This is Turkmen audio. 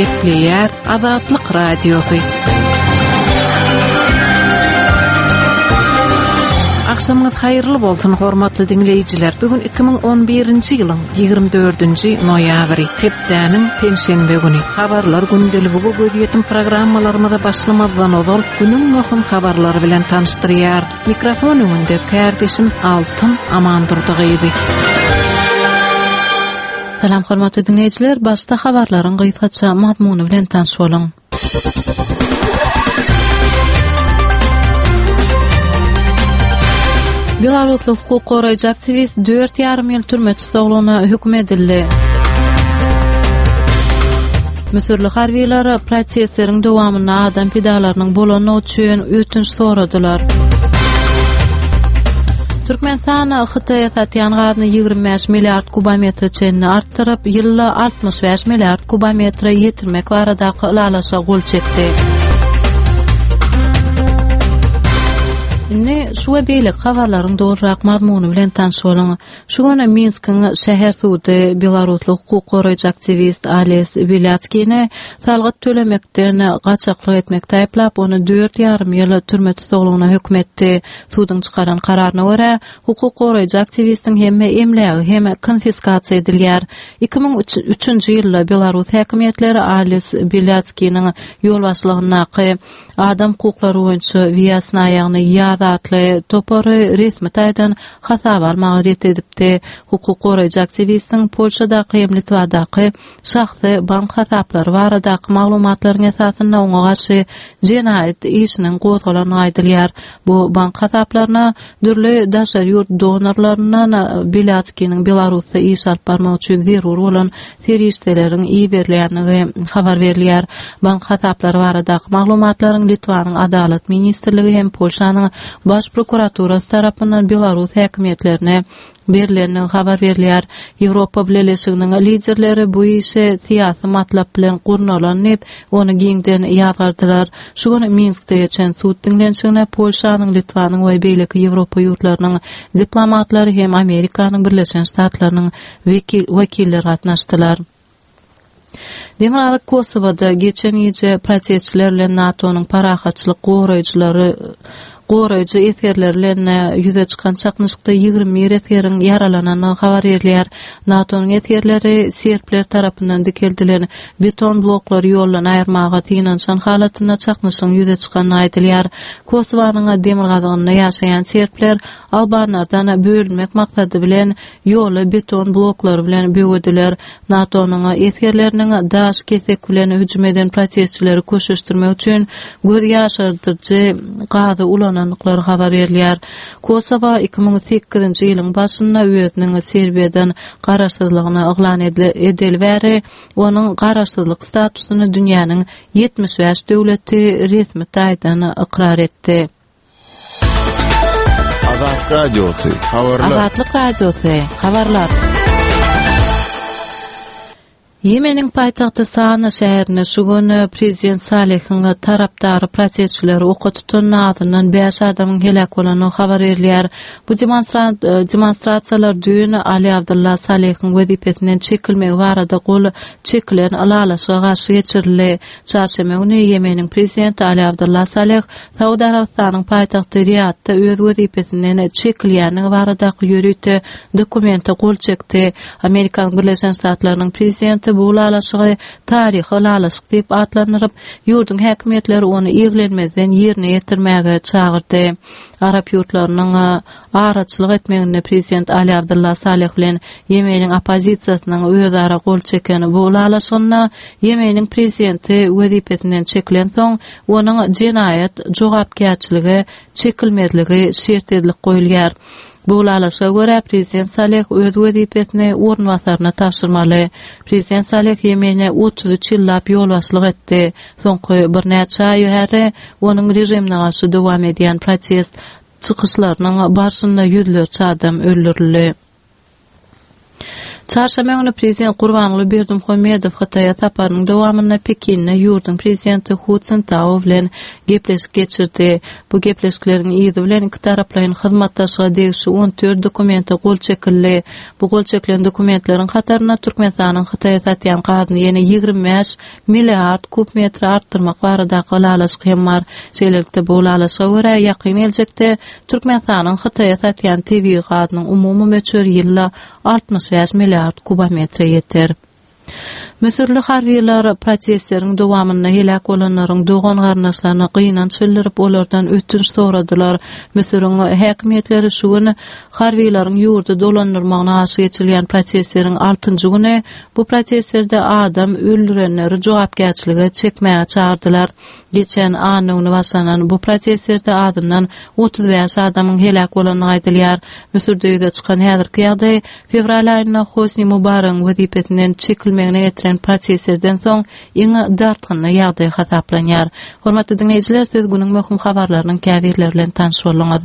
Gepleýär Azatlyk Radiosy. Agşamyňyz haýyrly bolsun, hormatly diňleýjiler! Bu gün 2011-nji ýylyň 24-nji noýabry, hepdäniň penşenbe güni. Habarlar gündeligi we gözýetim programmalarymyza başlamazdan ozal, günüň möhüm habarlary bilen tanyşdyrýarys. Mikrofon öňünde kärdeşim Altyn Amandurdy gyzy. Salam hormatly diňleýjiler, başda habarlaryň gysgaça mazmuny bilen tanyş boluň. Belarusly hukuk goraýjy aktiwist 4,5 ýyl türme tussaglygyna höküm edildi. Müsürli harbylar protestleriň dowamynda adam pidalarynyň bolandygy üçin ötünç soradylar. Türkmenistan Hytaýa satýan gazyny 25 milliard kubometre çenli artdyryp, ýylda 65 milliard kubometre ýetirmek baradaky ylalaşyga gol çekdi. Indi şu we beýleki habarlaryň dolurak mazmuny bilen tanyş boluň. Şu gün Minskiň şäher sudy belarusly hukuk goraýjy aktiwist Ales Belýatskini salgyt tölemekden gaçaklyk etmekde aýyplap, ony dört ýarym ýyl türme tussaglygyna höküm etdi. Suduň çykaran kararyna görä, hukuk goraýjy aktiwistiň hemme emlägi hem konfiskasiýa edilýär. 2003-nji ýylda belarus häkimiýetleri Ales Belýatskiniň ýolbaşçylygyndaky Adam hukuklary boýunça Wýasna ýagny Ýaz atly topary resmi taýdan hasaba almagy ret edipdi. Hukuk goraýjy aktiwistiň Polşadaky hem Litwadaky şahsy bank hasaplary baradaky maglumatlaryň esasynda oňa garşy jenaýat işiniň gozgalandygy aýdylýar. Bu bank hasaplaryna dürli daşary ýurt donorlaryndan Belýatskiniň Belarusda iş alyp barmak üçin zerur bolan serişdeleriň iberilýändigi habar berilýär. Bank hasaplary baradaky maglumatlaryň Litwanyň Adalat ministrligi hem Polşanyň Baş prokuraturasy tarapyndan belarus häkimiýetlerine berlendigi habar berilýär. Ýewropa Bileleşiginiň liderleri bu işi syýasy matlap bilen gurnalan diýip, ony giňden ýazgardylar. Şu gün Minskde geçen sud diňlenişigine Polşanyň, Litwanyň we beýleki Ýewropa ýurtlarynyň diplomatlary hem Amerikanyň Birleşen Ştatlarynyň wekiller gatnaşdylar. Demirgazyk Kosowada geçen gije protestçiler bilen NATO-nyň parahatçylyk goraýjylary goraýjy esgerleri bilen ýüze çykan çaknyşykda 21 esgeriň ýaralanandygy habar berilýär. NATO-nyň esgerleri serbler tarapyndan dikeldilen beton bloklary ýoldan aýyrmaga synanyşan halatynda çaknyşygyň ýüze çykandygy aýdylýar. Kosowanyň demirgazygynda ýaşaýan serbler albanlardan bölünmek maksady bilen ýoly beton bloklary bilen böwediler. NATO-nyň esgerleriniň daş kesek bilen hüjüm eden protestçileri köşeşdirmek üçin göz ýaşardyjy gazy ulanandyklary habar berilýär. Kosowa 2008-nji ýylyň başynda özüniň Serbiýadan garaşsyzlygyny yglan edeli bäri onuň garaşsyzlyk statusyny dünýäniň 75 döwleti resmi taýdan ykrar etdi. Azat Radiosy, habarlar. Azatlyk Radiosy, habarlar. Ýemeniň paýtagty Sana şäherinde şu gün prezident Salehiň tarapdary protestçileri oka tutan azyndan bäş adamyň heläk bolandygy habar berilýär. Bu demonstrasiýalar düýn Ali Abdylla Salehiň wezipesinden çekilmegi barada gol çekilen ylalaşyga garşy geçirildi. Çarşenbe güni Ýemeniň prezidenti Ali Abdylla Saleh Saud Arabystanyň paýtagty Riýadda öz wezipesinden çekilýändigi baradaky ýörite dokumente gol çekdi. Amerikanyň Birleşen Ştatlarynyň prezidenti bu ylalaşygy taryhy ylalaşyk diýip atlandyryp, ýurduň häkimiýetleri ony eglenmezden ýerine ýetirmäge çagyrdy. Arap ýurtlarynyň araçylyk etmeginde prezident Ali Abdylla Saleh bilen Ýemeniň oppozisiýasynyň özara gol çeken bu ylalaşygynda Ýemeniň prezidenti wezipesinden çekilensoň, onuň jenaýat jogapkärçilige çekilmezligi şert edilip goýulýar. Bu ylalaşyga görä, prezident Saleh öz wezipesini orunbasaryna tabşyrmaly. Prezident Saleh Ýemene 33 ýyllap ýolbaşçylyk etdi. Soňky birnäçe aý bäri onuň režimine garşy dowam edýän protest çykyşlarynyň barşynda ýüzlerçe adam öldürildi. Çarşenbe güni prezident Gurbanguly Berdimuhamedow Hytaýa saparynyň dowamynda Pekinde ýurduň prezidenti Hu Szintao bilen gepleşik geçirdi. Bu gepleşikleriň yzy bilen ikitaraplaýyn hyzmatdaşlyga degişli 14 dokumente gol çekildi. Bu gol çekilen dokumentleriň hatarynda Türkmenistanyň Hytaýa satýan gazyny ýene 25 milliard kub metre artdyrmak baradaky ylalaşyk hem bar. Şeýlelikde, bu ylalaşyga görä, ýakyn geljekde Türkmenistanyň Hytaýa satýan tebigy gazynyň umumy möçberi ýylda 65 milliard kubometre ýeter. Müsürli harbylar protestleriň dowamynda heläk bolanlaryň dogan-garyndaşlaryna gynanç bildirip, olardan ötünç soradylar. Müsüriň häkimiýetleri şu gün harbylaryň ýurdy dolandyrmagyna garşy geçirilýän protestleriň altynjy güni bu protestlerde adam öldürenleri jogapkärçilige çekmäge çagyrdylar. Geçen anna güni başlanan bu protestlerde azyndan 35 adamyň heläk bolandygy aýdylýar. Müsürde ýüze çykan häzirki ýagdaý fewral aýynda Hosni Mubaregiň wezipesinden çekilmegine getiren protestlerden soň iň dartgynly ýagdaý hasaplanýar. Hormatly diňleýjiler, siz günüň möhüm habarlarynyň käbirleri bilen tanyş bolduňyz.